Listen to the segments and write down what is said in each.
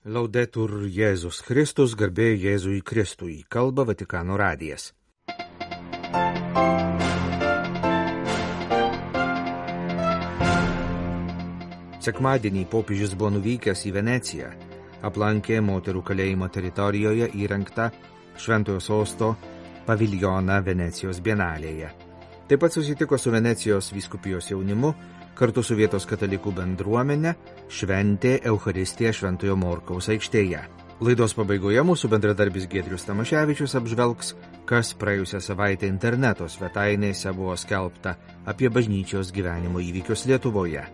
Laudetur Jėzus Kristus, garbė Jėzui Kristui, kalba Vatikano radijas. Sekmadienį popiežius buvo nuvykęs į Veneciją, aplankė moterų kalėjimo teritorijoje įrengtą Šventojo Sosto paviljoną Venecijos bienalėje. Taip pat susitiko su Venecijos vyskupijos jaunimu, kartu su vietos katalikų bendruomenė šventė Eucharistiją Šventojo Morkaus aikštėje. Laidos pabaigoje mūsų bendradarbis Giedrius Tamaševičius apžvelgs, kas praėjusią savaitę interneto svetainėse buvo skelbta apie bažnyčios gyvenimo įvykius Lietuvoje.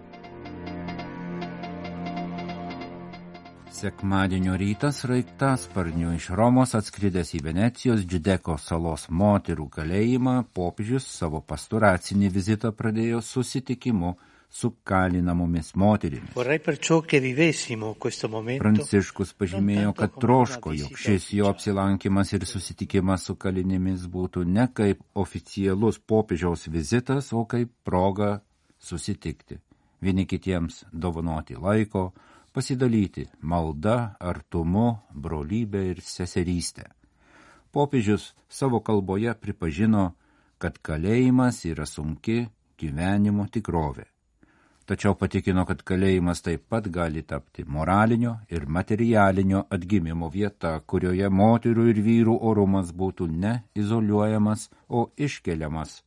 Sekmadienio rytas sraigtasparniu iš Romos atskridęs į Venecijos Džiudeko salos moterų kalėjimą, popiežius savo pastoracinį vizitą pradėjo susitikimu su kalinamomis moterimis. Pranciškus pažymėjo, kad troško, jog šis jo apsilankimas ir susitikimas su kalinėmis būtų ne kaip oficialus popiežiaus vizitas, o kaip proga susitikti. Vieni kitiems dovanoti laiko, pasidalyti malda, artumu, brolybę ir seserystę. Popiežius savo kalboje pripažino, kad kalėjimas yra sunki gyvenimo tikrovė. Tačiau patikino, kad kalėjimas taip pat gali tapti moralinio ir materialinio atgimimo vieta, kurioje moterų ir vyrų orumas būtų ne izoliuojamas, o iškeliamas,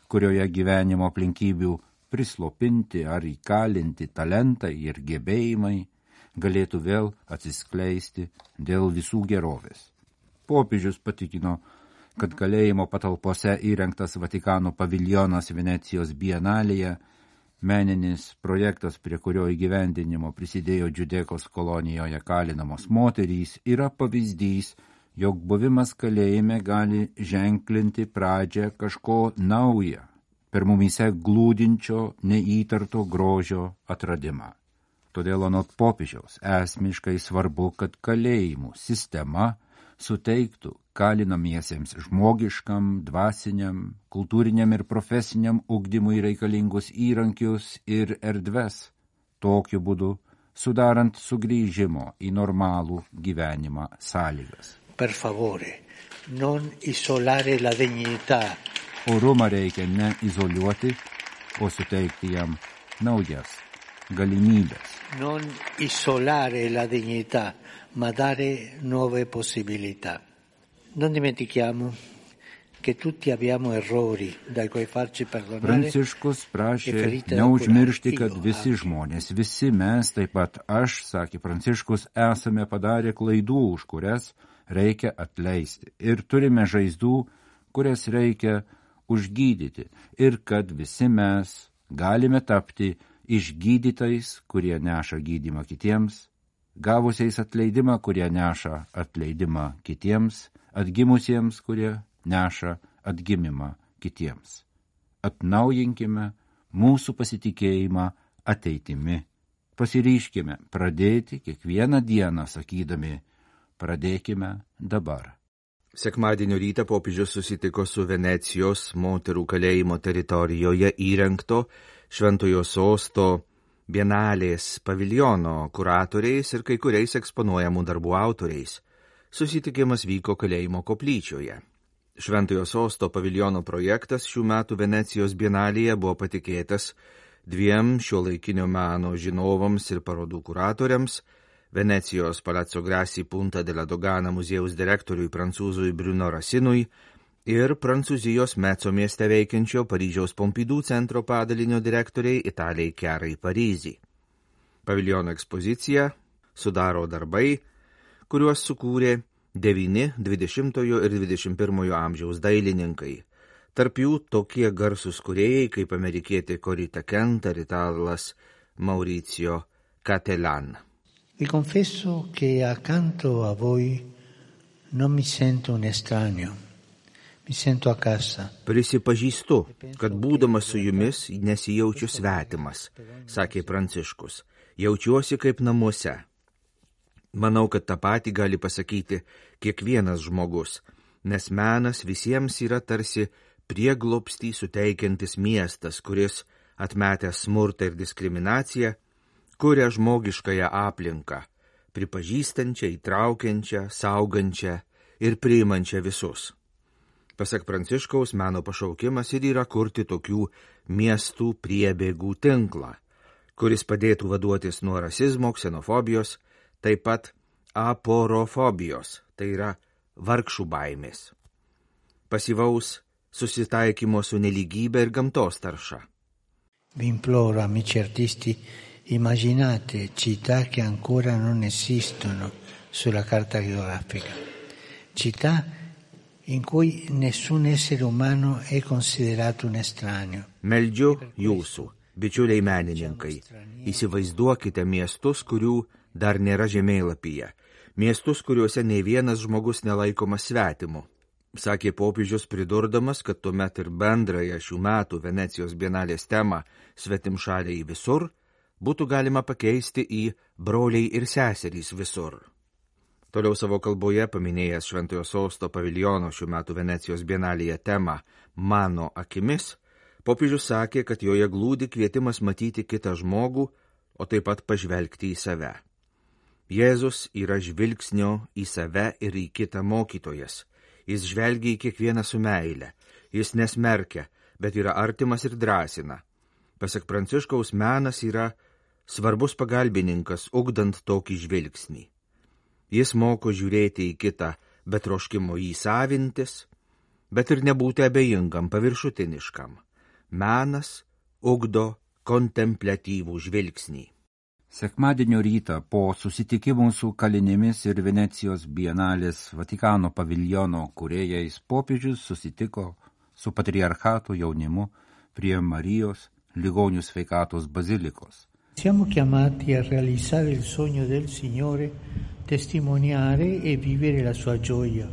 kurioje gyvenimo aplinkybių prislopinti ar įkalinti talentai ir gebėjimai galėtų vėl atsiskleisti dėl visų gerovės. Popiežius patikino, kad kalėjimo patalpose įrengtas Vatikano paviljonas Venecijos bienalėje, meninis projektas, prie kurio įgyvendinimo prisidėjo Džiudekos kolonijoje kalinamos moterys, yra pavyzdys, jog buvimas kalėjime gali ženklinti pradžią kažko nauja, per mumyse glūdinčio neįtarto grožio atradimą. Todėl anot popiežiaus esmiškai svarbu, kad kalėjimų sistema suteiktų kalinamiesiems žmogiškam, dvasiniam, kultūriniam ir profesiniam ugdymui reikalingus įrankius ir erdves, tokiu būdu sudarant sugrįžimo į normalų gyvenimą sąlygas. Per favore, non isolare la dignità. Orumą reikia ne izoliuoti, o suteikti jam naujas galimybės. Non isolare la dignità, ma dare nuove possibilità. Non dimentichiamo che tutti abbiamo errori dai quali farci perdonare. Pranciškus prašė neužmiršti, kad visi žmonės, visi mes, taip pat aš, sakė Pranciškus, esame padarę klaidų, už kurias reikia atleisti. Ir turime žaizdų, kurias reikia užgydyti. Ir kad visi mes galime tapti išgydytais, kurie neša gydymą kitiems, gavusiais atleidimą, kurie neša atleidimą kitiems, atgimusiems, kurie neša atgimimą kitiems. Atnaujinkime mūsų pasitikėjimą ateitimi. Pasiryškime pradėti kiekvieną dieną, sakydami, pradėkime dabar. Sekmadienio rytą popiežius susitiko su Venecijos moterų kalėjimo teritorijoje įrengto Šventojo Sosto bienalės paviljono kuratoriais ir kai kuriais eksponuojamų darbų autoriais. Susitikimas vyko kalėjimo koplyčioje. Šventojo Sosto paviljono projektas šių metų Venecijos bienalėje buvo patikėtas dviem šiuolaikinio meno žinovams ir parodų kuratoriams, Venecijos Palazzo Grassi Punta della Dogana muziejaus direktoriui prancūzui Bruno Rasinui ir Prancūzijos Meco mieste veikiančio Paryžiaus Pompidou centro padalinio direktoriai Italijai Chiarai Parisi. Paviljono ekspoziciją sudaro darbai, kuriuos sukūrė 9 20 ir 21 amžiaus dailininkai. Tarp jų tokie garsūs kūrėjai kaip amerikietė Corita Kent ar italas Mauricio Cattelan. Vi confesso che accanto a voi non mi sento un estraneo, mi sento a casa. Prisipažįstu, kad būdamas su jumis nesijaučiu svetimas, sakė Pranciškus, jaučiuosi kaip namuose. Manau, kad tą patį gali pasakyti kiekvienas žmogus, nes menas visiems yra tarsi prieglobstį suteikiantis miestas, kuris, atmetęs smurtą ir diskriminaciją, kuria žmogiškąją aplinką, pripažįstančią, įtraukiančią, saugančią ir priimančią visus. Pasak Pranciškaus, meno pašaukimas ir yra kurti tokių miestų priebėgų tinklą, kuris padėtų vaduotis nuo rasizmo, ksenofobijos, taip pat aporofobijos, tai yra vargšų baimės, pasyvaus susitaikymo su nelygybė ir gamtos tarša. Vi imploro, amici artisti, immaginate città che ancora non esistono sulla carta geografica, città in cui nessun essere umano è considerato un estraneo. Meldžiu jūsų, bičiuliai menininkai, įsivaizduokite miestus, kurių dar nėra žemėlapyje, miestus, kuriuose nei vienas žmogus nelaikomas svetimu, sakė popiežius pridurdamas, kad tuomet ir bendrąją šių metų Venecijos bienalės temą svetimšaliai visur būtų galima pakeisti į broliai ir seserys visur. Toliau savo kalboje paminėjęs Šventojo Sosto paviljono šių metų Venecijos bienalėje temą Mano akimis, popiežius sakė, kad joje glūdi kvietimas matyti kitą žmogų, o taip pat pažvelgti į save. Jėzus yra žvilgsnio į save ir į kitą mokytojas. Jis žvelgia į kiekvieną su meile. Jis nesmerkia, bet yra artimas ir drąsina. Pasak Pranciškaus, menas yra svarbus pagalbininkas, ugdant tokį žvilgsnį. Jis moko žiūrėti į kitą, bet troškimo jį savintis, bet ir nebūti abejingam, paviršutiniškam. Menas ugdo kontempliatyvų žvilgsnį. Sekmadienio rytą po susitikimų su kalinėmis ir Venecijos bienalės Vatikano paviljono kūrėjais popiežius susitiko su patriarchato jaunimu prie Marijos ligonių sveikatos bazilikos. Siamo chiamati a realizzare il sogno del Signore, testimoniare e vivere la sua gioia.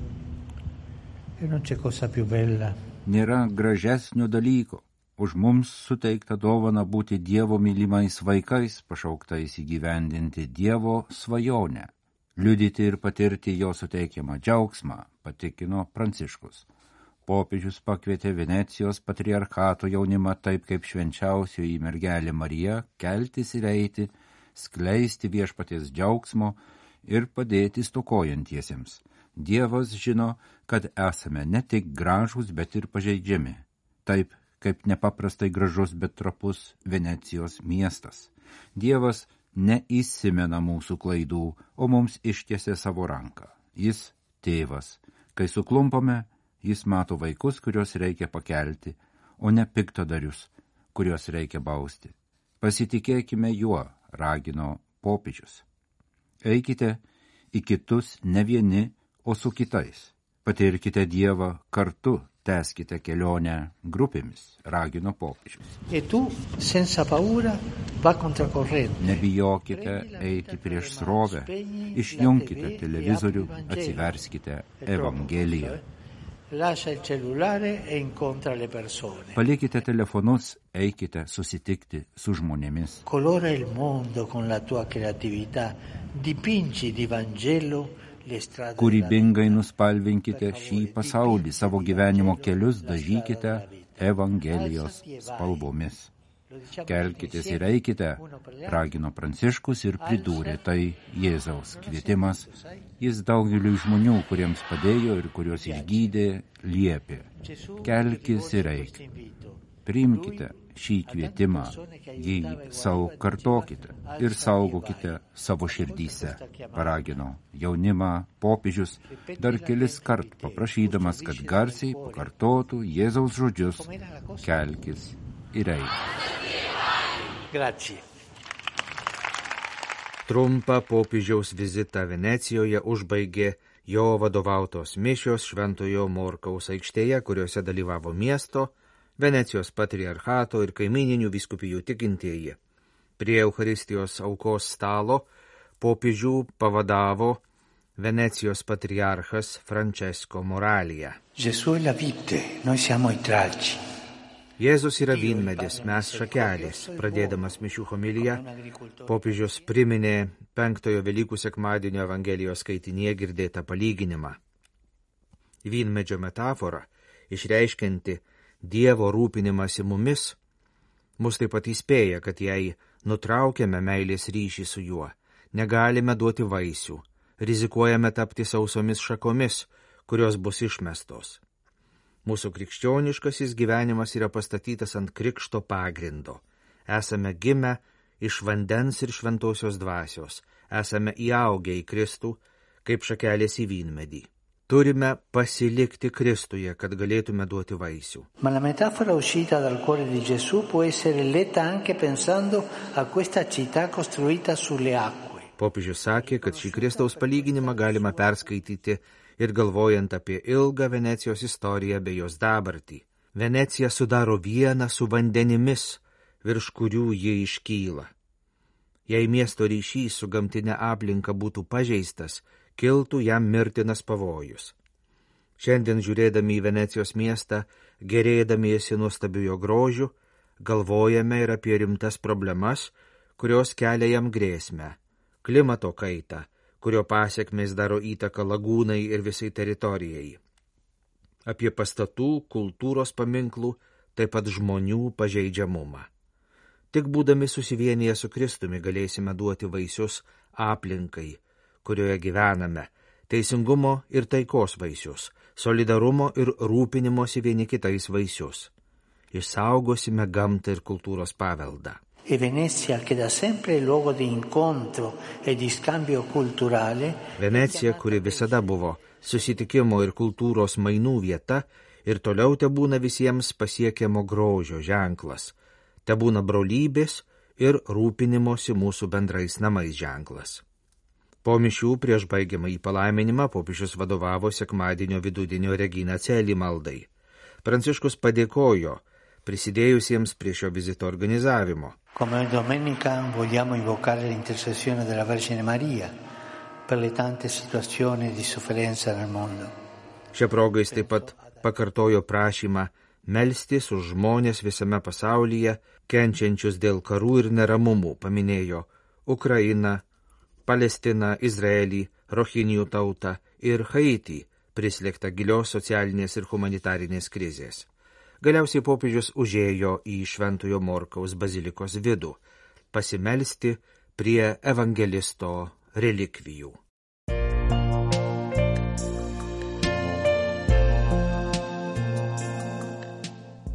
E non c'è cosa più bella. Nėra gražesnio dalyko už mums suteiktą dovaną būti Dievo mylimais vaikais, pašauktais įgyvendinti Dievo svajonę, liudyti ir patirti jo suteikiamą džiaugsmą, patikino Pranciškus. Popiežius pakvietė Venecijos patriarchato jaunimą taip kaip švenčiausioji mergelė Marija keltis ir eiti, skleisti viešpaties džiaugsmo ir padėti stokojantiesiems. Dievas žino, kad esame ne tik gražūs, bet ir pažeidžiami. Taip kaip nepaprastai gražus, bet trapus Venecijos miestas. Dievas neįsimena mūsų klaidų, o mums ištiesia savo ranką. Jis tėvas. Kai suklumpame, jis mato vaikus, kuriuos reikia pakelti, o ne piktadarius, kuriuos reikia bausti. Pasitikėkime juo, ragino popiežius. Eikite į kitus ne vieni, o su kitais. Patirkite Dievą kartu, tęskite kelionę grupėmis, ragino popiežius. E tu, senza paura, va contracorrente. Nebijokite eiti prieš srovę, išjungkite televizorių, atsiverskite Evangeliją. Lascia il cellulare e incontra le persone. Palikite telefonus, eikite susitikti su žmonėmis. Colora il mondo con la tua creatività, dipingi di Vangelo le strade. Kūrybingai nuspalvinkite šį pasaulį, savo gyvenimo kelius dažykite Evangelijos spalvomis. Kelkitės ir eikite, ragino Pranciškus ir pridūrė, tai Jėzaus kvietimas. Jis daugeliu žmonių, kuriems padėjo ir kuriuos išgydė, liepė. Kelkis ir eik. Priimkite šį kvietimą, jį savo kartokite ir saugokite savo širdyse, paragino jaunimą popiežius, dar kelis kart paprašydamas, kad garsiai pakartotų Jėzaus žodžius, kelkis ir eik. Grazie. Trumpą popiežiaus vizitą Venecijoje užbaigė jo vadovautos mišios Šventojo Morkaus aikštėje, kuriuose dalyvavo miesto, Venecijos patriarchato ir kaimininių vyskupijų tikintieji. Prie Eucharistijos aukos stalo popiežių pavadavo Venecijos patriarchas Francesco Moralija. Gesù è la vite, noi siamo i tralci. Jėzus yra vynmedis, mes šakelės. Pradėdamas mišių homiliją, popiežius priminė 5 Velykų sekmadienio Evangelijos skaitinyje girdėtą palyginimą. Vynmedžio metafora, išreiškianti Dievo rūpinimąsi mumis, mus taip pat įspėja, kad jei nutraukiame meilės ryšį su juo, negalime duoti vaisių, rizikuojame tapti sausomis šakomis, kurios bus išmestos. Mūsų krikščioniškasis gyvenimas yra pastatytas ant krikšto pagrindo. Esame gimę iš vandens ir šventosios dvasios, esame įaugę į Kristų, kaip šakelės į vynmedį. Turime pasilikti Kristuje, kad galėtume duoti vaisių. Ma la metafora uscita dal cuore di Gesù può essere letta anche pensando a questa città costruita sulle acque. Popiežius sakė, kad šį Kristaus palyginimą galima perskaityti ir galvojant apie ilgą Venecijos istoriją bei jos dabartį. Venecija sudaro vieną su vandenimis, virš kurių ji iškyla. Jei miesto ryšys su gamtinė aplinka būtų pažeistas, kiltų jam mirtinas pavojus. Šiandien žiūrėdami į Venecijos miestą, gerėdamiesi nuostabiu jo grožiu, galvojame ir apie rimtas problemas, kurios kelia jam grėsmę. Klimato kaitą, kurio pasiekmės daro įtaką lagūnai ir visai teritorijai. Apie pastatų, kultūros paminklų, taip pat žmonių pažeidžiamumą. Tik būdami susivienyje su Kristumi galėsime duoti vaisius aplinkai, kurioje gyvename, teisingumo ir taikos vaisius, solidarumo ir rūpinimosi vieni kitais vaisius. Išsaugosime gamtą ir kultūros paveldą. E Venezia, che da sempre è luogo di incontro e di scambio culturale, Venecija, kuri visada buvo susitikimo ir kultūros mainų vieta, ir toliau tebūna visiems pasiekiamo grožio ženklas, tebūna brolybės ir rūpinimosi mūsų bendrais namais ženklas. Po mišių prieš baigiamą į palaiminimą popiežius vadovavo sekmadienio vidudienio Regina Coeli maldai. Pranciškus padėkojo prisidėjusiems prie šio vizito organizavimo. Come domenica vogliamo invocare l'intercessione della Vergine Maria per le tante situazioni di sofferenza nel mondo. Šia proga jis taip pat pakartojo prašymą melstis už žmonės visame pasaulyje, kenčiančius dėl karų ir neramumų, paminėjo Ukrainą, Palestiną, Izraelį, Rohinijų tautą ir Haitį, prislėgtą gilios socialinės ir humanitarinės krizės. Galiausiai popiežius užėjo į Šventojo Morkaus bazilikos vidų, pasimelsti prie evangelisto relikvijų.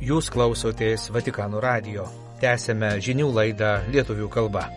Jūs klausotės Vatikano radijo. Tęsėme žinių laidą lietuvių kalba.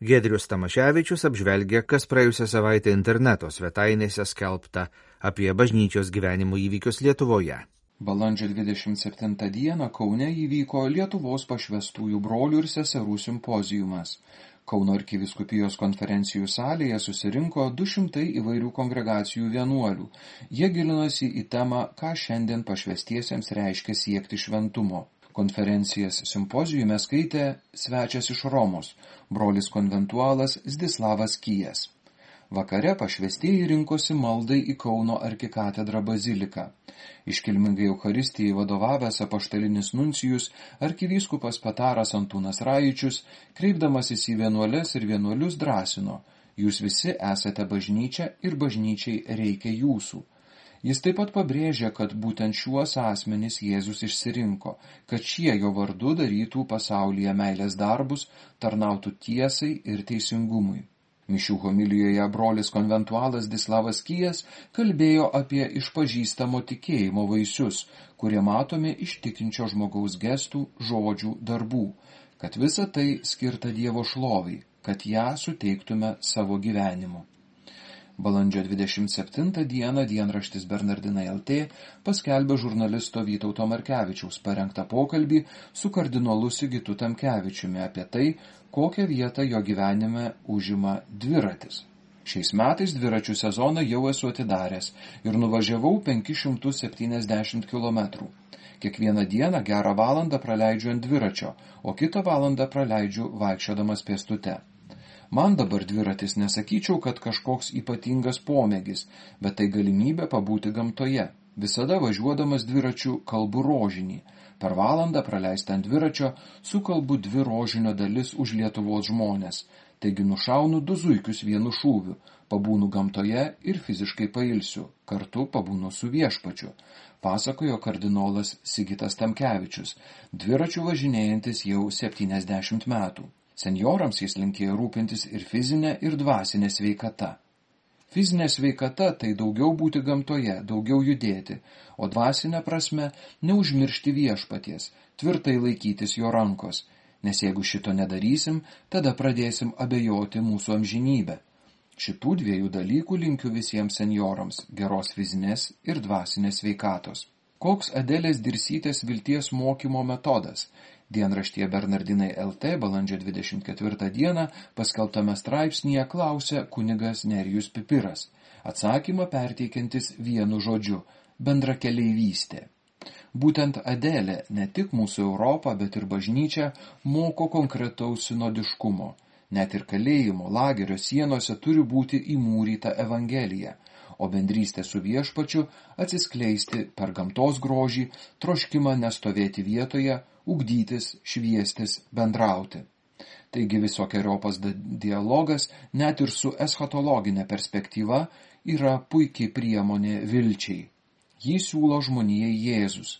Giedrius Tamaševičius apžvelgia, kas praėjusią savaitę interneto svetainėse skelbta apie bažnyčios gyvenimo įvykius Lietuvoje. Balandžio 27 dieną Kaune įvyko Lietuvos pašvestųjų brolių ir seserų simpozijumas. Kauno arkivyskupijos konferencijų salėje susirinko 200 įvairių kongregacijų vienuolių. Jie gilinosi į temą, ką šiandien pašvestiesiems reiškia siekti šventumo. Konferencijas simpozijume skaitė svečias iš Romos, brolis konventualas Zdislavas Kijas. Vakare pašvestieji rinkosi maldai į Kauno arkikatedrą baziliką. Iškilmingai Eucharistijai vadovavęs apaštalinis nuncijus arkivyskupas Pataras Antūnas Rajičius, kreipdamasis į vienuoles ir vienuolius drąsino: jūs visi esate bažnyčia ir bažnyčiai reikia jūsų. Jis taip pat pabrėžė, kad būtent šiuos asmenys Jėzus išsirinko, kad šie jo vardu darytų pasaulyje meilės darbus, tarnautų tiesai ir teisingumui. Mišių homilijoje brolis konventualas Zdislavas Kijas kalbėjo apie išpažįstamo tikėjimo vaisius, kurie matomi iš tikinčio žmogaus gestų, žodžių, darbų, kad visa tai skirta Dievo šlovai, kad ją suteiktume savo gyvenimu. Balandžio 27 dieną dienraštis Bernardinai LT paskelbė žurnalisto Vytauto Markevičiaus parengtą pokalbį su kardinolu Sigitu Tamkevičiumi apie tai, kokią vietą jo gyvenime užima dviratis. Šiais metais dviračių sezoną jau esu atidaręs ir nuvažiavau 570 km. Kiekvieną dieną gerą valandą praleidžiu ant dviračio, o kitą valandą praleidžiu vaikščiodamas pėstute. Man dabar dviratis nesakyčiau, kad kažkoks ypatingas pomėgis, bet tai galimybė pabūti gamtoje. Visada važiuodamas dviračiu kalbu rožinį. Per valandą praleistą ant dviračio sukalbu 2 rožinio dalis už Lietuvos žmonės. Taigi nušaunu 2 zuikius vienu šūviu. Pabūnu gamtoje ir fiziškai pailsiu, kartu pabūnu su viešpačiu, pasakojo kardinolas Sigitas Tamkevičius, dviračiu važinėjantis jau 70 metų. Senjorams jis linkėjo rūpintis ir fizinė, ir dvasinė sveikata. Fizinė sveikata tai daugiau būti gamtoje, daugiau judėti, o dvasinė prasme neužmiršti viešpaties, tvirtai laikytis jo rankos, nes jeigu šito nedarysim, tada pradėsim abejoti mūsų amžinybę. Šitų dviejų dalykų linkiu visiems senjorams – geros fizinės ir dvasinės sveikatos. Koks Adelės Dirsytės vilties mokymo metodas? Dienraštyje Bernardinai LT balandžio 24 dieną paskelbtame straipsnyje klausė kunigas Nerijus Pipiras, atsakymą perteikiantis vienu žodžiu – bendrakeleivystė. Būtent Adelė ne tik mūsų Europą, bet ir bažnyčią moko konkretaus sinodiškumo. Net ir kalėjimo, lagerio sienose turi būti įmūryta Evangelija, o bendrystė su viešpačiu atsiskleisti per gamtos grožį, troškimą nestovėti vietoje, ugdytis, šviestis, bendrauti. Taigi visokiojopas dialogas, net ir su eschatologinė perspektyva, yra puikiai priemonė vilčiai. Jį siūlo žmonijai Jėzus,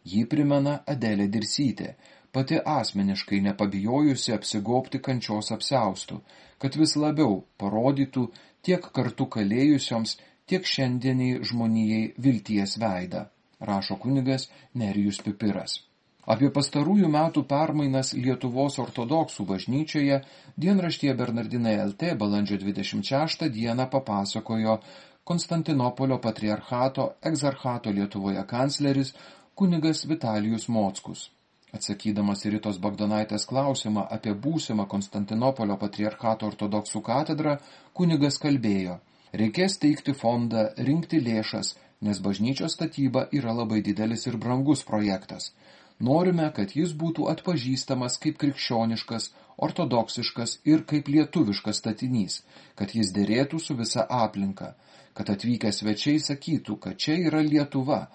jį primena Adelė Dirsytė, pati asmeniškai nepabijojusi apsigobti kančios apsiaustų, kad vis labiau parodytų tiek kartu kalėjusioms, tiek šiandieniai žmonijai vilties veidą, rašo kunigas Nerijus Pipiras. Apie pastarųjų metų permainas Lietuvos ortodoksų bažnyčioje dienraštyje Bernardinai LT balandžio 26 dieną papasakojo Konstantinopolio patriarchato egzarchato Lietuvoje kancleris kunigas Vitalijus Mockus. Atsakydamas į Ritos Bagdonaitės klausimą apie būsimą Konstantinopolio patriarchato ortodoksų katedrą, kunigas kalbėjo: reikės teikti fondą, rinkti lėšas, nes bažnyčios statyba yra labai didelis ir brangus projektas. Norime, kad jis būtų atpažįstamas kaip krikščioniškas, ortodoksiškas ir kaip lietuviškas statinys, kad jis derėtų su visa aplinka, kad atvykę svečiai sakytų, kad čia yra Lietuva.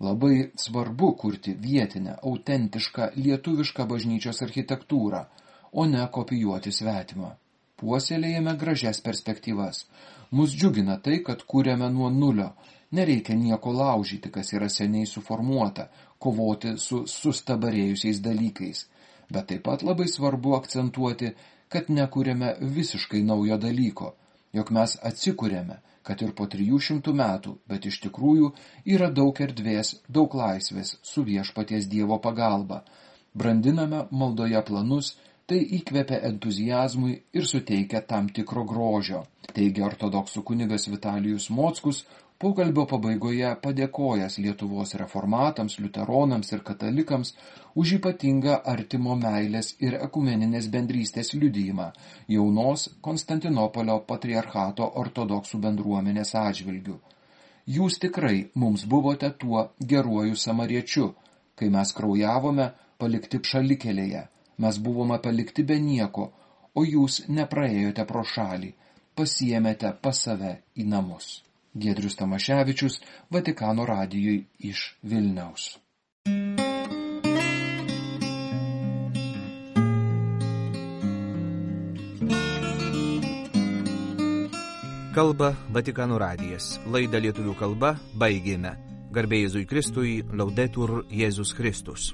Labai svarbu kurti vietinę, autentišką, lietuvišką bažnyčios architektūrą, o ne kopijuoti svetimą. Puoselėjame gražias perspektyvas. Mus džiugina tai, kad kūrėme nuo nulio. Nereikia nieko laužyti, kas yra seniai suformuota, kovoti su sustabarėjusiais dalykais. Bet taip pat labai svarbu akcentuoti, kad nekūrėme visiškai naujo dalyko, jog mes atsikūrėme, kad ir po 300 metų, bet iš tikrųjų yra daug erdvės, daug laisvės su viešpaties Dievo pagalba. Brandiname maldoje planus, tai įkvepia entuziazmui ir suteikia tam tikro grožio, teigia ortodoksų kunigas Vitalijus Mockus, pokalbio pabaigoje padėkojęs Lietuvos reformatams, liuteronams ir katalikams už ypatingą artimo meilės ir ekumeninės bendrystės liudijimą jaunos Konstantinopolio patriarchato ortodoksų bendruomenės atžvilgiu. Jūs tikrai mums buvote tuo geruoju samariečiu, kai mes kraujavome palikti šalikelėje, mes buvome palikti be nieko, o jūs nepraėjote pro šalį, pasiėmėte pas save į namus. Giedrius Tamaševičius, Vatikano radijui iš Vilniaus. Kalba Vatikano radijas. Laidą lietuvių kalba baigėme. Garbė Jėzui Kristui, Laudetur Jėzus Kristus.